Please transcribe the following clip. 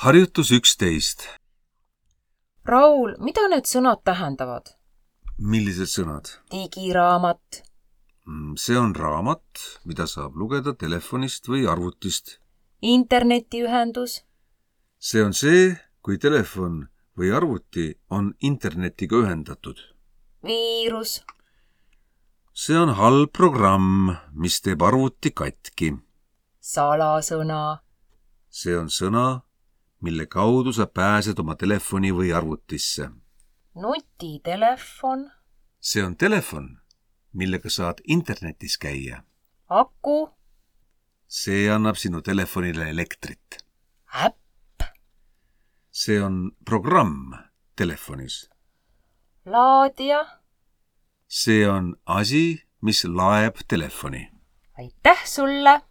Harjutus 11. Raul, mida need sõnad tähendavad? Millised sõnad? Digiraamat. See on raamat, mida saab lugeda telefonist või arvutist. Internetiühendus. See on see, kui telefon või arvuti on internetiga ühendatud. Viirus. See on halb programm, mis teeb arvuti katki. Salasõna. See on sõna, mille kaudu sa pääsed oma telefoni või arvutisse. Nutitelefon. See on telefon, millega saad internetis käia. Aku. See annab sinu telefonile elektrit. Äpp. See on programm telefonis. Laadija. See on asi, mis laeb telefoni. Aitäh sulle!